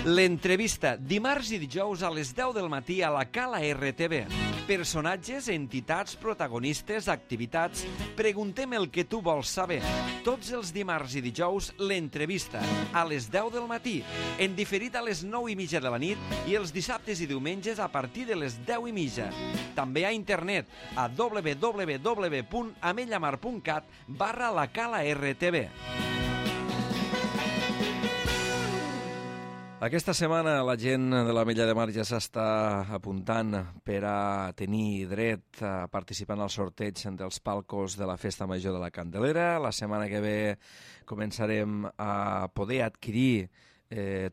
L'entrevista, dimarts i dijous a les 10 del matí a la Cala RTV. Personatges, entitats, protagonistes, activitats... Preguntem el que tu vols saber. Tots els dimarts i dijous, l'entrevista, a les 10 del matí, en diferit a les 9:30 de la nit i els dissabtes i diumenges a partir de les 10:30. També a internet a www.amellamar.cat/la Cala RTV. Aquesta setmana la gent de l'Ametlla de Mar ja s'està apuntant per a tenir dret a participar en el sorteig dels palcos de la Festa Major de la Candelera. La setmana que ve començarem a poder adquirir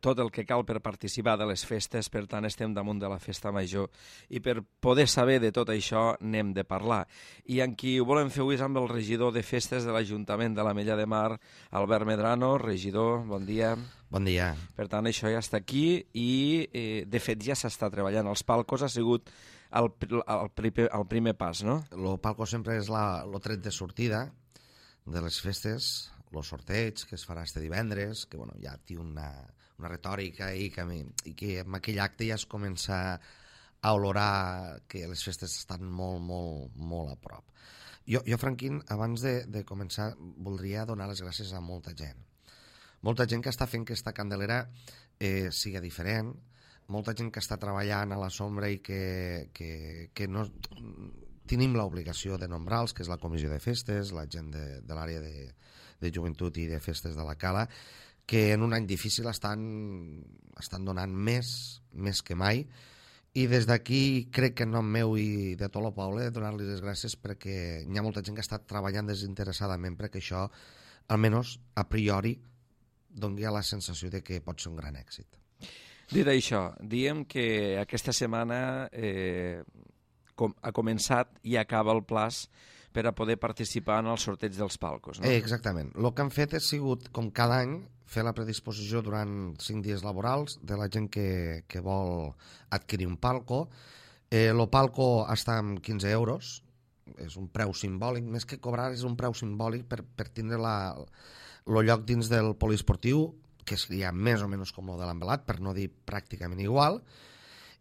tot el que cal per participar de les festes, per tant estem damunt de la Festa Major i per poder saber de tot això n'hem de parlar. I amb qui ho volem fer avui és amb el regidor de festes de l'Ajuntament de l'Ametlla de Mar, Albert Medrano. Regidor, bon dia. Bon dia. Per tant, això ja està aquí i, de fet, ja s'està treballant. Els palcos ha sigut el primer pas, no? El palco sempre és el tret de sortida de les festes, el sorteig que es farà este divendres, que bueno, ja té una retòrica i que amb aquell acte ja es comença a olorar que les festes estan molt, molt, molt a prop. Jo Franquín, abans de començar, voldria donar les gràcies a molta gent. Molta gent que està fent que esta Candelera sigui diferent, molta gent que està treballant a la sombra i que no tenim l'obligació de nombrar-los, que és la comissió de festes, la gent de l'àrea de joventut i de festes de la Cala, que en un any difícil estan donant més que mai, i des d'aquí crec que en nom meu i de tot el poble donar-li les gràcies perquè hi ha molta gent que està treballant desinteressadament perquè això, almenys a priori, doni la sensació de que pot ser un gran èxit. Dit això, diem que aquesta setmana ha començat i acaba el plaç per a poder participar en el sorteig dels palcos, no? Exactament. El que han fet ha sigut, com cada any, fer la predisposició durant 5 dies laborals de la gent que vol adquirir un palco. El palco està amb 15 euros, és un preu simbòlic, més que cobrar és un preu simbòlic per tindre el lloc dins del poliesportiu, que seria més o menys com el de l'Envelat, per no dir pràcticament igual,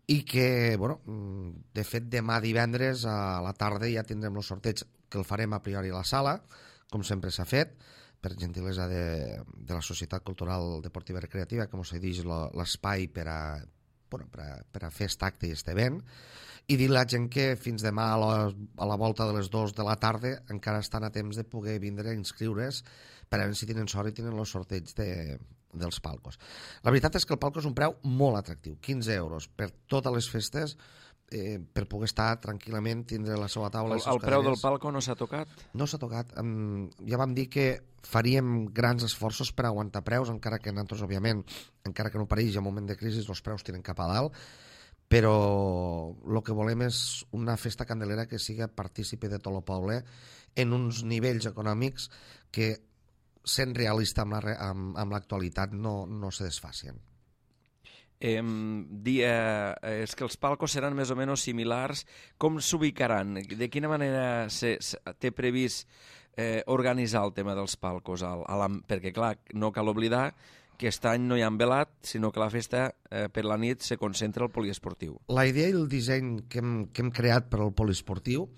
i que, bueno, de fet, demà divendres a la tarda ja tindrem el sorteig, que el farem a priori a la sala, com sempre s'ha fet, per gentilesa de la Societat Cultural Deportiva i Recreativa, que ens cedeix l'espai per a fer aquest acte i aquest event, i dir a la gent que fins demà a la volta de les 2 de la tarda encara estan a temps de poder vindre a inscriure's per a veure si tenen sort i tenen el sorteig dels palcos. La veritat és que el palco és un preu molt atractiu, 15 euros per totes les festes, per poder estar tranquil·lament, tindre la seva taula. El preu del palco no s'ha tocat? No s'ha tocat. Ja vam dir que faríem grans esforços per aguantar preus, encara que nosaltres, òbviament, encara que no pareix en moment de crisi, els preus tiren cap a dalt, però el que volem és una festa candelera que sigui partícipe de tot el poble en uns nivells econòmics que, sent realista amb l'actualitat, no se desfacien. És que els palcos seran més o menys similars. Com s'ubicaran? De quina manera té previst organitzar el tema dels palcos? Perquè, clar, no cal oblidar que aquest any no hi ha envelat, sinó que la festa per la nit se concentra al poliesportiu. La idea i el disseny que hem creat per al poliesportiu,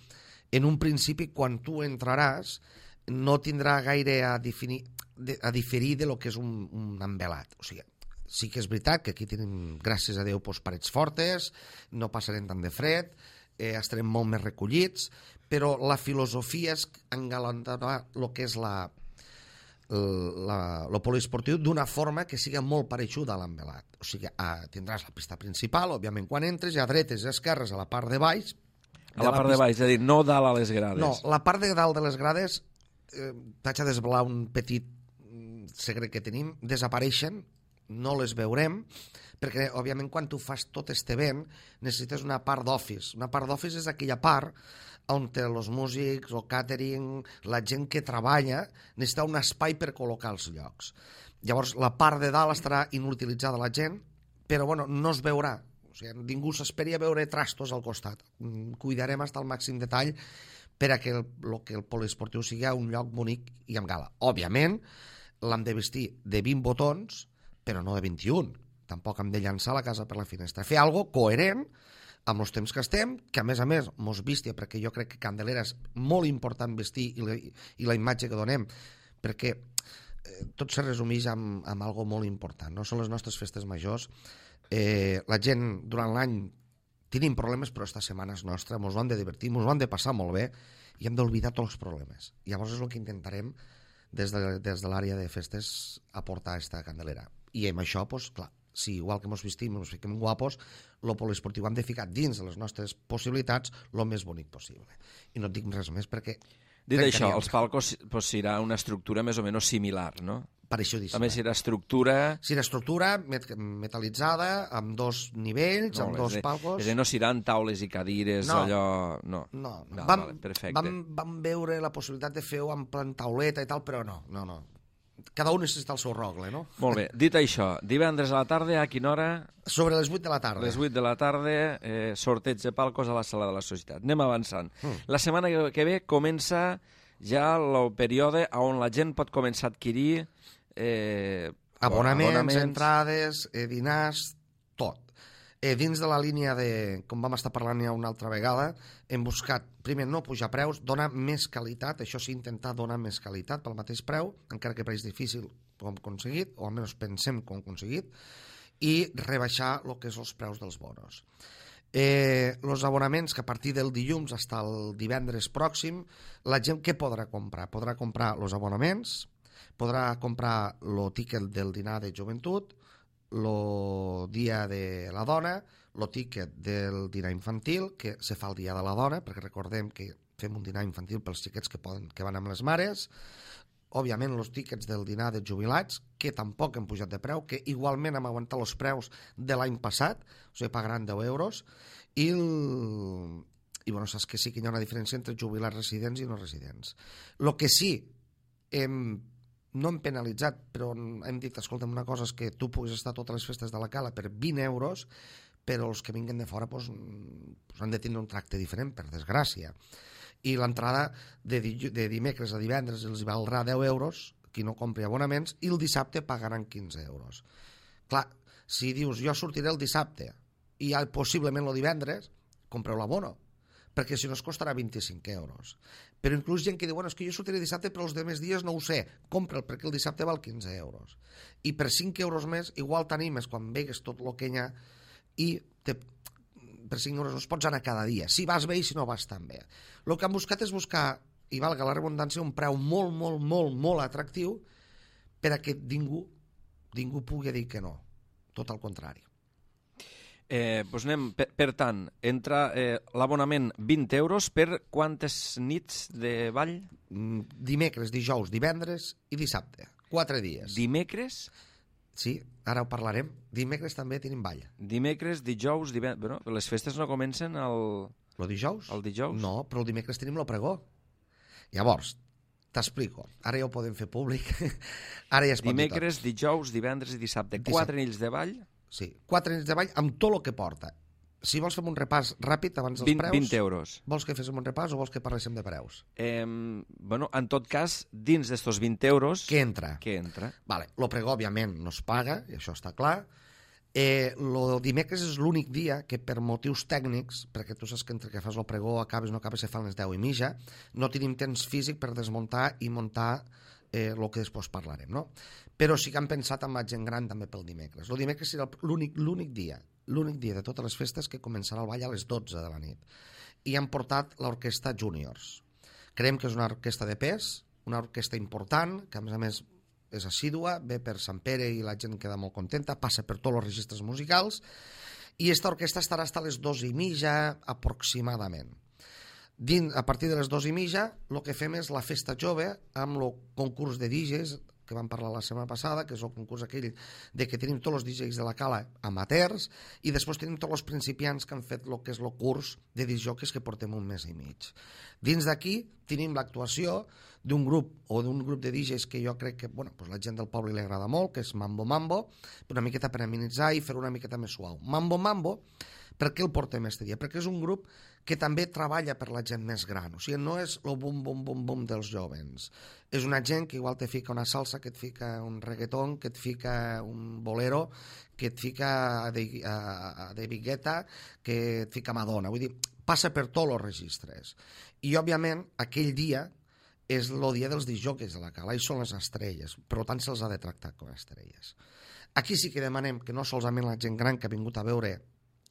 en un principi, quan tu entraràs, no tindrà gaire a diferir de lo que és un envelat. O sigui, sí que és veritat que aquí tenim, gràcies a Déu, parets fortes, no passarem tant de fred, estarem molt més recollits, però la filosofia és engalantar el que és el poliesportiu d'una forma que sigui molt parejuda a l'envelat. O sigui, tindràs la pista principal, òbviament, quan entres, a dretes i esquerres, a la part de baix. A la part de baix, és a dir, no dalt a les grades. No, la part de dalt de les grades, t'haig de desvelar un petit secret que tenim, desapareixen, no les veurem, perquè, òbviament, quan tu fas tot aquest event, necessites una part d'office. Una part d'office és aquella part on els músics, el catering, la gent que treballa, necessita un espai per col·locar els llocs. Llavors, la part de dalt estarà inutilitzada la gent, però, bueno, no es veurà. O sigui, ningú s'esperi a veure trastos al costat. Cuidarem fins al màxim detall per a que el poliesportiu sigui un lloc bonic i amb gala. Òbviament, l'hem de vestir de 20 botons, però no de 21. tampoc hem de llançar la casa per la finestra. Fer alguna cosa coherent amb els temps que estem, que a més mos vistia, perquè jo crec que Candelera és molt important vestir i la imatge que donem, perquè tot se resumeix amb algo molt important, no? Són les nostres festes majors. La gent durant l'any tenim problemes, però esta setmana és nostra, ens ho hem de divertir, ens ho hem de passar molt bé i hem d'oblidar tots els problemes. Llavors és el que intentarem des de l'àrea de festes aportar esta Candelera. I amb això, doncs, clar, si igual que ens vestim, ens fiquem guapos, el poliesportiu hem de ficar dins de les nostres possibilitats el més bonic possible. I no et dic res més perquè... Dit això, els palcos serà una estructura més o menys similar, no? Pareixudíssima. També serà estructura... Serà estructura metal·litzada, amb dos nivells, amb dos palcos... És a dir, no seran taules i cadires, allò... No. Perfecte. Vam veure la possibilitat de fer-ho amb tauleta i tal, però no. Cada un necessita el seu rogle, no? Molt bé. Dit això, divendres a la tarda, a quina hora? Sobre les 8 de la tarda. Les 8 de la tarda, sorteig de palcos a la sala de la Societat. Anem avançant. La setmana que ve comença ja el període on la gent pot començar a adquirir abonaments, entrades, dinars, tot. Dins de la línia de, com vam estar parlant ja una altra vegada, hem buscat, primer, no pujar preus, donar més qualitat, això sí, intentar donar més qualitat pel mateix preu, encara que preix difícil ho hem aconseguit, o almenys pensem que ho hem aconseguit, i rebaixar el que és els preus dels bonos. Els abonaments que a partir del dilluns fins al divendres pròxim, la gent què podrà comprar? Podrà comprar els abonaments, podrà comprar el tiquet del dinar de joventut, el dia de la dona, el tiquet del dinar infantil, que se fa el dia de la dona, perquè recordem que fem un dinar infantil pels xiquets que van amb les mares, òbviament els tiquets del dinar de jubilats, que tampoc hem pujat de preu, que igualment hem aguantat els preus de l'any passat, o sigui, pagaran 10 euros, i bueno, saps que sí que hi ha una diferència entre jubilats residents i no residents. El que sí no hem penalitzat, però hem dit, escolta'm, una cosa és que tu puguis estar a totes les festes de la Cala per 20 euros, però els que vinguen de fora han de tindre un tracte diferent, per desgràcia. I l'entrada de dimecres a divendres els valdrà 10 euros, qui no compri abonaments, i el dissabte pagaran 15 euros. Clar, si dius, jo sortiré el dissabte i possiblement el divendres, compreu l'abono, perquè si no es costarà 25 euros. Però inclús gent que diu, bueno, és que jo sortiré dissabte, però els demés dies no ho sé, compra'l, perquè el dissabte val 15 euros. I per 5 euros més, igual t'animes quan vegues tot el que hi ha, i per 5 euros no es pots anar cada dia, si vas bé i si no vas tan bé. El que han buscat és buscar, i valga la redundància, un preu molt, molt, molt, molt atractiu per a que ningú pugui dir que no, tot al contrari. Doncs anem, per tant, entra l'abonament 20 euros per quantes nits de ball? Dimecres, dijous, divendres i dissabte. 4 dies. Dimecres? Sí, ara ho parlarem. Dimecres també tenim ball. Dimecres, dijous, divendres... Bueno, les festes no comencen el dijous? El dijous? No, però el dimecres tenim el pregó. Llavors, t'explico. Ara ja ho podem fer públic. Ara ja es pot Dimecres, dijous, divendres i dissabte. 4 nits de ball? Sí, 4 nits de ball amb tot el que porta. Si vols fer un repàs ràpid abans dels preus... 20 euros. Vols que féssim un repàs o vols que parléssim de preus? Bueno, en tot cas, dins d'estos 20 euros... Què entra? Vale, lo pregó, òbviament, no es paga, i això està clar. Lo dimecres és l'únic dia que per motius tècnics, perquè tu saps que entre que fas el pregó, acabes, no acabes, se fan les 10 i mitja, no tenim temps físic per desmuntar i muntar el que després parlarem, no? Però sí que han pensat en la gent gran també pel dimecres. El dimecres serà l'únic dia de totes les festes que començarà el ball a les 12 de la nit. I han portat l'orquestra Juniors. Creiem que és una orquestra de pes, una orquestra important, que a més és assídua, ve per Sant Pere i la gent queda molt contenta, passa per tots els registres musicals, i aquesta orquestra estarà fins a les 2:30 aproximadament. A partir de les 2:30 el que fem és la festa jove amb el concurs de DJs que vam parlar la setmana passada, que és el concurs aquell de que tenim tots els DJs de la Cala amateurs i després tenim tots els principiants que han fet el que és el curs de discjòqueis que portem un mes i mig. Dins d'aquí tenim l'actuació d'un grup de DJs que jo crec que la gent del poble li agrada molt, que és Mambo Mambo, una miqueta per amenitzar i fer una miqueta més suau. Mambo Mambo Per què el portem este dia? Perquè és un grup que també treballa per la gent més gran. O sigui, no és el bum-bum-bum-bum dels jovens. És una gent que igual te fica una salsa, que et fica un reggaeton, que et fica un bolero, que et fica de Guetta, que et fica Madonna. Vull dir, passa per tots els registres. I, òbviament, aquell dia és el dia dels disjòqueis de la cala, i són les estrelles, per tant se'ls ha de tractar com a estrelles. Aquí sí que demanem que no solament la gent gran que ha vingut a veure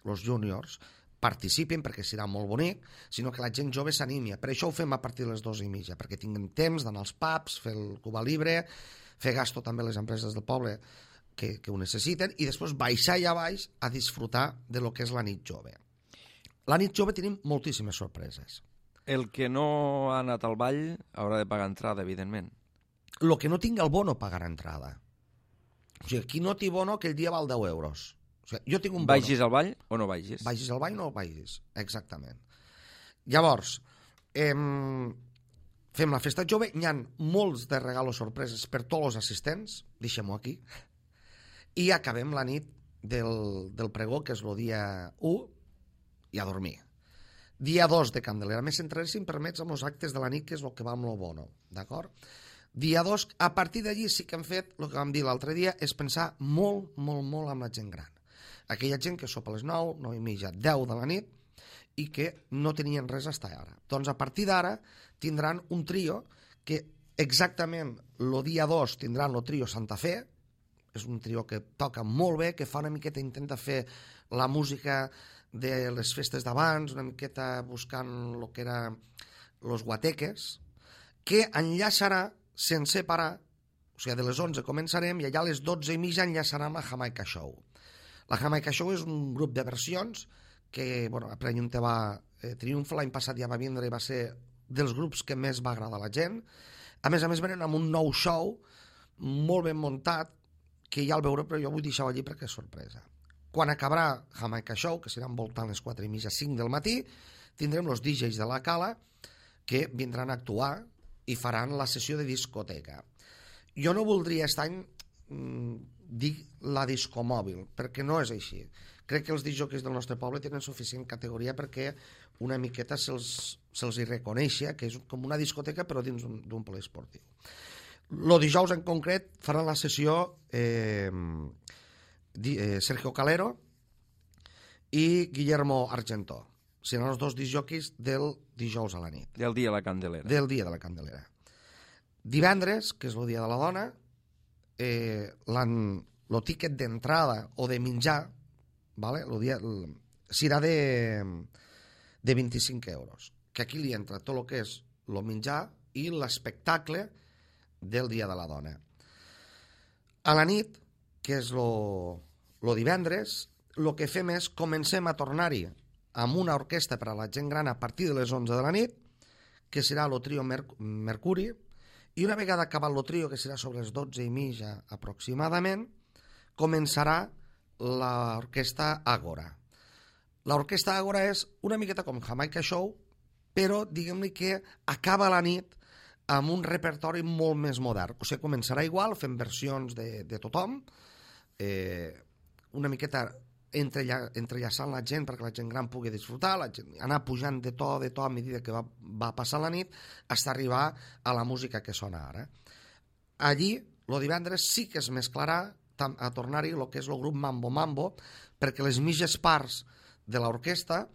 els júniors participin, perquè serà molt bonic, sinó que la gent jove s'animi. Per això ho fem a partir de les 2:30, perquè tinguin temps d'anar als pubs, fer el Cuba Libre, fer gasto també a les empreses del poble que ho necessiten, i després baixar allà baix a disfrutar de lo que és la nit jove. La nit jove tenim moltíssimes sorpreses. El que no ha anat al ball haurà de pagar entrada, evidentment. El que no tingui el bono pagarà entrada. O sigui, qui no té bono, aquell dia val 10 euros. O sigui, jo tinc un bono. Vagis al ball o no vagis? Vagis al ball o no vagis, exactament. Llavors, fem la festa jove, hi ha molts de regalos sorpreses per tots els assistents, deixem-ho aquí, i acabem la nit del pregó, que és el dia 1, i a dormir. Dia 2 de Candelera. Més centraré, si em permets, amb els actes de la nit, que és el que va amb el bono, d'acord? Dia 2, a partir d'allí sí que hem fet, el que vam dir l'altre dia, és pensar molt, molt, molt amb la gent gran. Aquella gent que sopa a les 9, 9:30, 10 de la nit, i que no tenien res fins ara. Doncs a partir d'ara tindran un trio que exactament el dia 2 tindran el trio Santa Fe, és un trio que toca molt bé, que fa una miqueta, intenta fer la música de les festes d'abans, una miqueta buscant el que era los guateques, que enllaçarà sense parar, o sigui, de les 11 començarem i allà a les 12:30 enllaçarà amb la Jamaica Show. La Jamaica Show és un grup de versions que, bueno, a Premium te va triomfa, l'any passat ja va vindre i va ser dels grups que més va agradar a la gent. A més, venen amb un nou show molt ben muntat, que ja el veuré, però jo vull deixar-ho allí perquè és sorpresa. Quan acabarà Jamaica Show, que serà envoltant les 4:30, 5 del matí, tindrem els DJs de la cala que vindran a actuar i faran la sessió de discoteca. Jo no voldria aquest any dir la discomòbil, perquè no és així. Crec que els disjòqueis del nostre poble tenen suficient categoria perquè una miqueta se'ls hi reconeixia, que és com una discoteca però dins d'un poliesportiu. El dijous en concret faran la sessió Sergio Calero i Guillermo Argentó. Seran els dos disjòqueis del dijous a la nit. Del dia de la Candelera. Del dia de la Candelera. Divendres, que és el dia de la dona, el tiquet d'entrada o de menjar, vale? Serà de 25 euros, que aquí li entra tot el que és el menjar i l'espectacle del dia de la dona. A la nit, que és el divendres, el que fem és comencem a tornar-hi amb una orquestra per a la gent gran a partir de les 11 de la nit, que serà el trio Mercuri, i una vegada acabat el trio, que serà sobre les 12:30 aproximadament, començarà l'orquestra Ágora. L'orquestra Ágora és una miqueta com Jamaica Show, però diguem-li que acaba la nit amb un repertori molt més modern. O sigui, començarà igual, fent versions de tothom, una miqueta entrellaçant la gent perquè la gent gran pugui disfrutar, anar pujant de to a mesura que va passar la nit, fins a arribar a la música que sona ara. Allí, el divendres sí que es mesclarà a tornar-hi el que és el grup Mambo Mambo, perquè les mitges parts de l'orquestra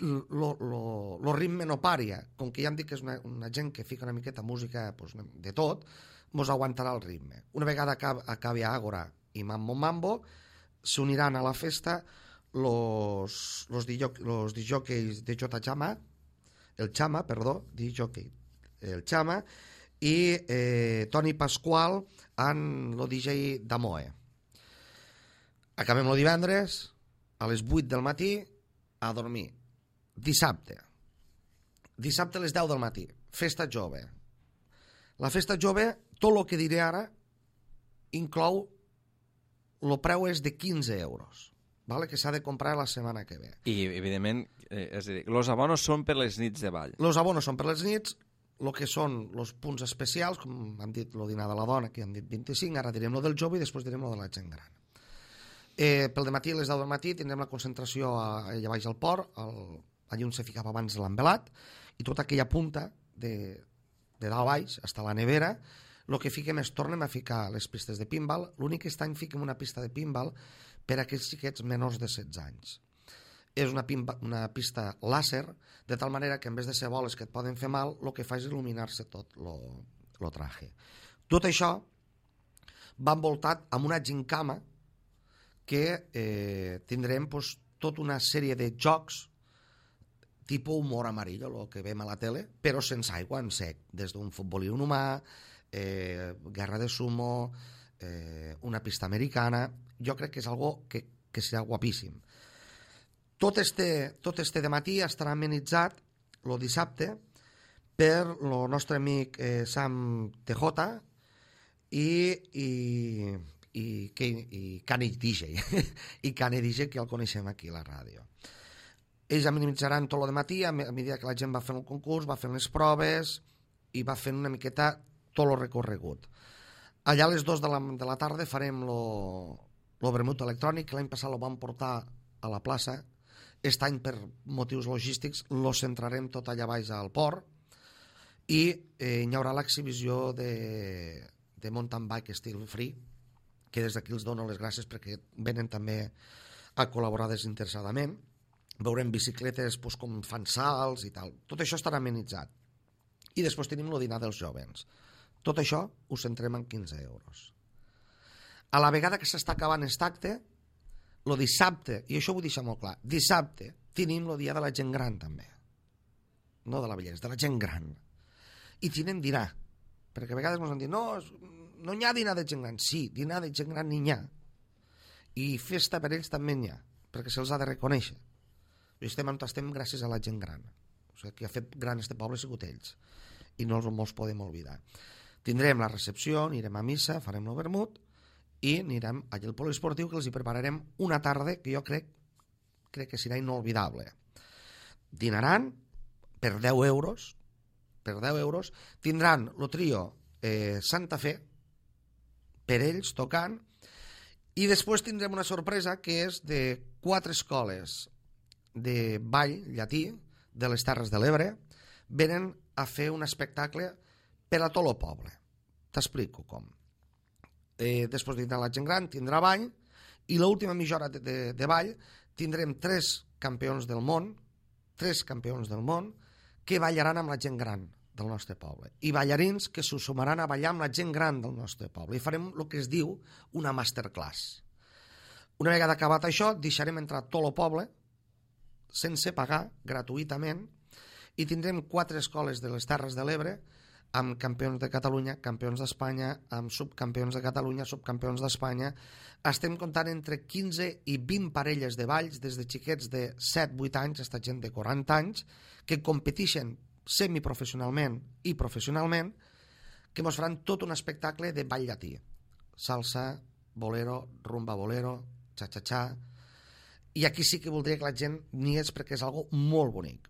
el ritme no paria. Com que ja hem dit que és una gent que fica una miqueta música de tot, mos aguantarà el ritme. Una vegada acabi Ágora i Mambo Mambo, s'uniran a la festa los disjòqueis de Jota Chama, el Chama, i Toni Pasqual amb el DJ Damoe. Acabem el divendres a les 8 del matí a dormir. Dissabte a les 10 del matí, festa jove. La festa jove, tot el que diré ara, inclou, el preu és de 15 euros, vale? Que s'ha de comprar la setmana que ve. I, evidentment, és a dir, els abonos són per les nits de ball. Els abonos són per les nits, el que són els punts especials, com hem dit el dinar de la dona, que hem dit 25, ara direm el del jove i després direm el de la gent gran. Pel dematí, a les 10 del matí, tindrem la concentració allà baix al port, allà on se ficava abans l'envelat, i tota aquella punta de dalt a baix, fins a la nevera, el que fiquem és, tornem a ficar les pistes de pinball, l'únic que any fiquem una pista de pinball per a aquells xiquets menors de 16 anys. És una pista làser, de tal manera que en vez de ser boles que et poden fer mal, el que fa és il·luminar-se tot el traje. Tot això va envoltat amb una gincama que tindrem tota una sèrie de jocs tipus humor amarillo, el que veiem a la tele, però sense aigua, en sec, des d'un futbolí humà, guerra de sumo, una pista americana. Jo crec que és algo que serà guapíssim. Tot este dematí estarà amenitzat el dissabte per el nostre amic Sam TJ i Cani DJ i Cani DJ, que el coneixem aquí a la ràdio. Ells amenitzaran tot el matí, a mesura que la gent va fent el concurs, va fent les proves i va fent una miqueta tot el recorregut. Allà a les 2 de la tarda farem el vermut electrònic, que l'any passat el vam portar a la plaça. Aquest any, per motius logístics, lo centrarem tot allà baix al port i hi haurà l'exhibició de mountain bike estil free, que des d'aquí els dono les gràcies perquè venen també a col·laborar desinteressadament. Veurem bicicletes com fan salts i tal. Tot això estarà amenitzat. I després tenim el dinar dels jovens. Tot això ho centrem en 15 euros. A la vegada que s'està acabant aquest acte, el dissabte, i això ho vull deixar molt clar, dissabte tenim el dia de la gent gran també. No de la vellesa, de la gent gran. I tenim dinar. Perquè a vegades ens han dit, no hi ha dinar de gent gran. Sí, dinar de gent gran n'hi ha. I festa per ells també n'hi ha, perquè se'ls ha de reconèixer. Estem on estem gràcies a la gent gran. O sigui, qui ha fet gran este poble ha sigut ells. I no els podem oblidar. Tindrem la recepció, anirem a missa, farem el vermut i anirem allà al poliesportiu, que els hi prepararem una tarda que jo crec que serà inolvidable. Dinaran per 10 euros. Per 10 euros. Tindran el trio Santa Fe per ells tocant, i després tindrem una sorpresa que és de 4 escoles de ball llatí de les Terres de l'Ebre. Venen a fer un espectacle per a tot el poble. T'explico com. Després tindrà la gent gran, tindrà ball, i l'última mitja hora de ball tindrem 3 campions del món que ballaran amb la gent gran del nostre poble, i ballarins que s'ho sumaran a ballar amb la gent gran del nostre poble, i farem el que es diu una masterclass. Una vegada acabat això, deixarem entrar tot el poble sense pagar, gratuïtament, i tindrem 4 escoles de les Terres de l'Ebre amb campions de Catalunya, campions d'Espanya, amb subcampions de Catalunya, subcampions d'Espanya. Estem comptant entre 15 i 20 parelles de balls, des de xiquets de 7-8 anys fins a gent de 40 anys, que competeixen semiprofessionalment i professionalment, que ens faran tot un espectacle de ball llatí. Salsa, bolero, rumba bolero, xa-xa-xa. I aquí sí que voldria que la gent n'hi és, perquè és algo molt bonic.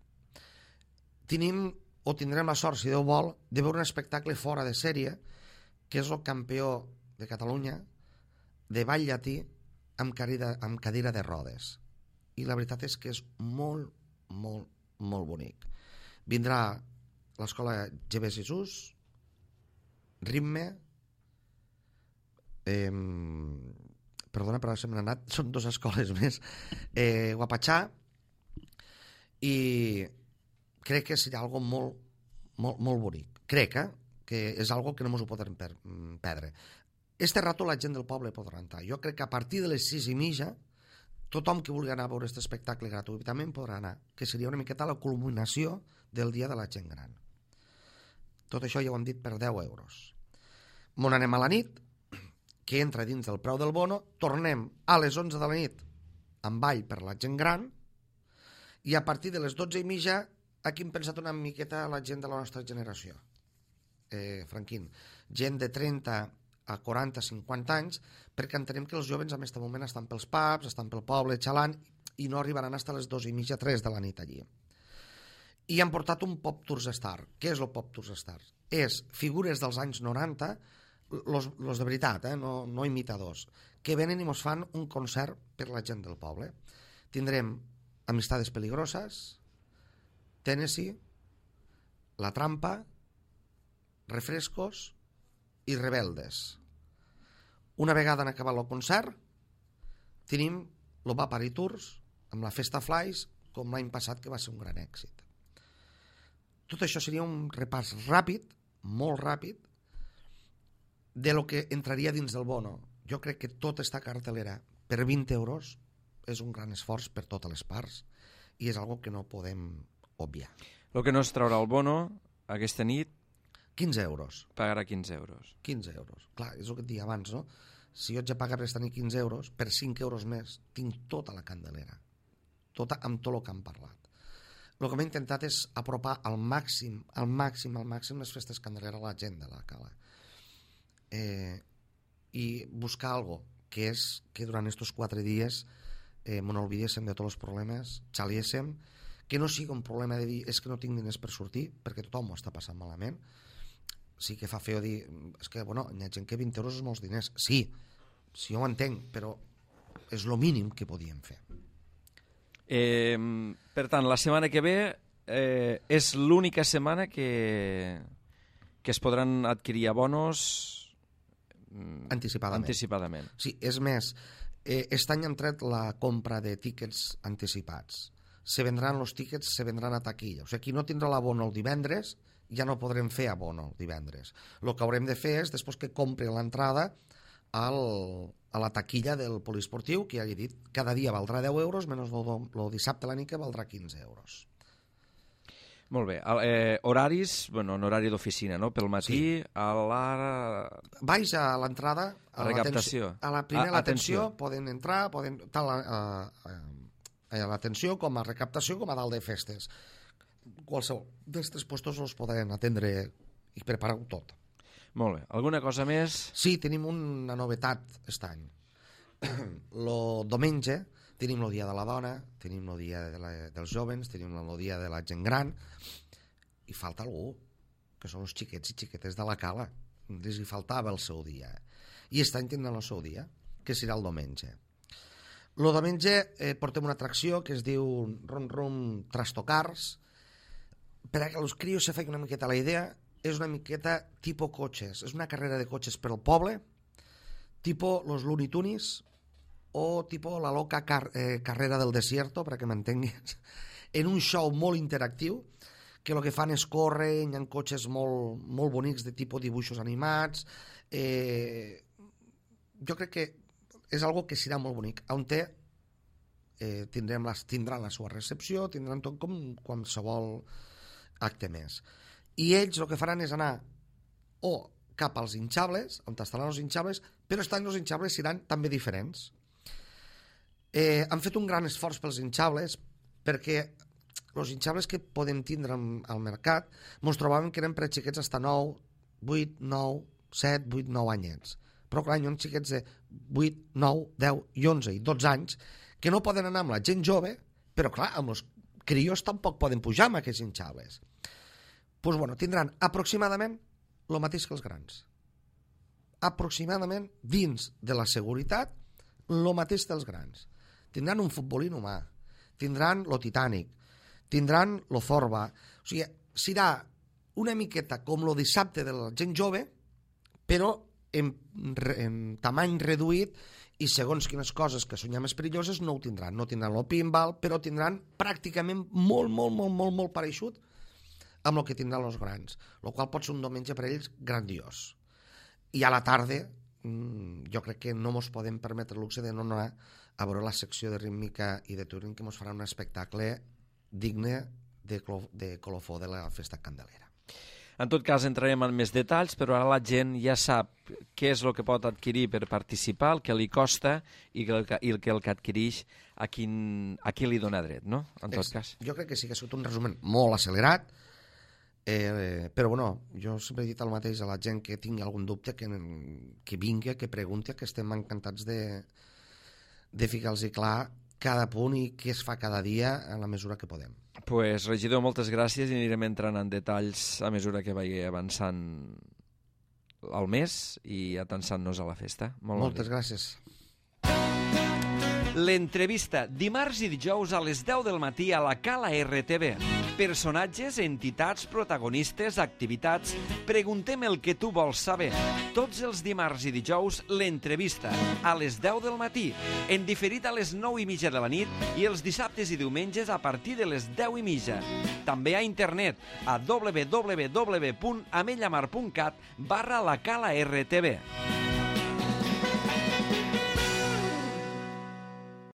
Tindrem la sort, si Déu vol, de veure un espectacle fora de sèrie, que és el campió de Catalunya de ball llatí amb cadira de rodes. I la veritat és que és molt, molt, molt bonic. Vindrà l'escola GB Jesús, Ritme, perdona, però se m'han anat, són 2 escoles més, Guapatxà, i crec que serà algo molt, molt, molt bonic. Crec que és algo que no ens ho podem perdre. Este rato la gent del poble podrà entrar. Jo crec que a partir de les 6:30 tothom que vulgui anar a veure aquest espectacle gratuïtament podrà anar, que seria una miqueta la culminació del dia de la gent gran. Tot això ja ho hem dit per 10 euros. Mon anem a la nit, que entra dins del preu del bono, tornem a les 11 de la nit amb ball per la gent gran, i a partir de les 12:30 aquí hem pensat una miqueta la gent de la nostra generació. Franquín, gent de 30 a 40, 50 anys, perquè entenem que els jovens en aquest moment estan pels pubs, estan pel poble xalant, i no arribaran fins a les 2:30, 3 de la nit allí. I han portat un Pop Tours Star. Què és el Pop Tours Star? És figures dels anys 90, los de veritat, no imitadors, que venen i ens fan un concert per la gent del poble. Tindrem Amistades Peligrosas, Tennessee, La Trampa, Refrescos i Rebeldes. Una vegada han acabat el concert, tenim el Vapari Tours amb la Festa Flies, com l'any passat, que va ser un gran èxit. Tot això seria un repàs ràpid, molt ràpid, de lo que entraria dins del bono. Jo crec que tota aquesta cartelera per 20 euros és un gran esforç per totes les parts i és algo que no podem obviar. El que no es traurà el bono aquesta nit 15 euros. pagarà 15 euros. 15 euros. Clar, és el que et deia abans, no? Si jo haig de pagar per estar 15 euros, per 5 euros més, tinc tota la candelera. Tota, amb tot el que hem parlat. El que m'he intentat és apropar al màxim les festes candeleres a la gent de la cala. I buscar algo que és que durant aquests 4 dies m'olvidéssim de tots els problemes, xaliéssim, que no sigui un problema de dir és que no tinc diners per sortir, perquè tothom ho està passant malament. Sí que fa feo dir, és que, bueno, hi ha gent que 20 euros és molts diners. Sí ho entenc, però és el mínim que podíem fer. Per tant, la setmana que ve és l'única setmana que es podran adquirir abonos anticipadament. Sí, és més, aquest any hem tret la compra de tíquets anticipats. Se vendran els tíquets, se vendran a taquilla. O sigui, qui no tindrà l'abono el divendres, ja no podrem fer abono el divendres. El que haurem de fer és, després que compri l'entrada, a la taquilla del poliesportiu, que ja he dit, cada dia valdrà 10 euros, menys el dissabte a la nit que valdrà 15 euros. Molt bé. Horaris, bueno, en horari d'oficina, no? Pel matí, sí. A la... Baix a l'entrada, a recaptació. A la primera atenció, poden entrar, tant a l'atenció com a recaptació com a dalt de festes. Qualsevol d'aquests puestos els poden atendre i preparar-ho tot. Molt bé. Alguna cosa més? Sí, tenim una novetat aquest any. El diumenge tenim el dia de la dona, tenim el dia dels jovens, tenim el dia de la gent gran, i falta algú, que són els xiquets i xiquetes de la cala. Els hi faltava el seu dia. I aquest any tindran el seu dia, que serà el diumenge. El diumenge portem una atracció que es diu Rum Rum Trastocars. Per a que els crios se facin una miqueta la idea, és una miqueta tipus cotxes. És una carrera de cotxes per al poble, tipus los Looney Tunes o tipus la loca carrera del desierto, per a que m'entenguis, en un show molt interactiu, que el que fan és córrer, hi ha cotxes molt, molt bonics de tipus dibuixos animats. Jo crec que és algo que serà molt bonic, on tindran la seva recepció, tindran tot com qualsevol acte més. I ells el que faran és anar o cap als hinchables, on estaran els hinchables, però estan els hinchables seran també diferents. Han fet un gran esforç pels hinchables perquè els hinchables que podem tindre al mercat ens trobàvem que eren per a xiquets fins a 9, 8, 9, 7, 8, 9 anyets. Però clar, hi ha xiquets de 8, 9, 10 i 11 i 12 anys que no poden anar amb la gent jove, però clar, amb els crios tampoc poden pujar amb aquests hinchables. Doncs bueno, tindran aproximadament el mateix que els grans. Aproximadament, dins de la seguretat, el mateix dels grans. Tindran un futbolín humà, tindran lo Titanic, tindran lo Zorba. O sigui, serà una miqueta com lo dissabte de la gent jove, però en tamany reduït, i segons quines coses que són ja més perilloses no ho tindran. No tindran el pinball, però tindran pràcticament molt pareixut amb el que tindran els grans, el qual pot ser un diumenge per ells grandiós. I a la tarda jo crec que no ens podem permetre el luxe de no anar a veure la secció de rítmica i de touring, que ens farà un espectacle digne de colofó de la festa candelera. En tot cas, entrarem en més detalls, però ara la gent ja sap què és el que pot adquirir per participar, el que li costa i el que adquireix a qui li dona dret, no? En tot cas. Jo crec que sí que ha sigut un resum molt accelerat, però bueno, jo sempre he dit el mateix a la gent que tingui algun dubte, que vingui, que pregunti, que estem encantats de ficar-los clar cada punt i què es fa cada dia en la mesura que podem. Pues, regidor, moltes gràcies i anirem entrant en detalls a mesura que vagi avançant el mes i atançant-nos a la festa. Moltes gràcies. L'entrevista, dimarts i dijous a les 10 del matí a la Cala RTV. Personatges, entitats, protagonistes, activitats. Preguntem el que tu vols saber. Tots els dimarts i dijous, l'entrevista, a les 10 del matí, en diferit a les 9:30 de la nit i els dissabtes i diumenges a partir de les 10:30. També a internet a www.amellamar.cat/la Cala RTV.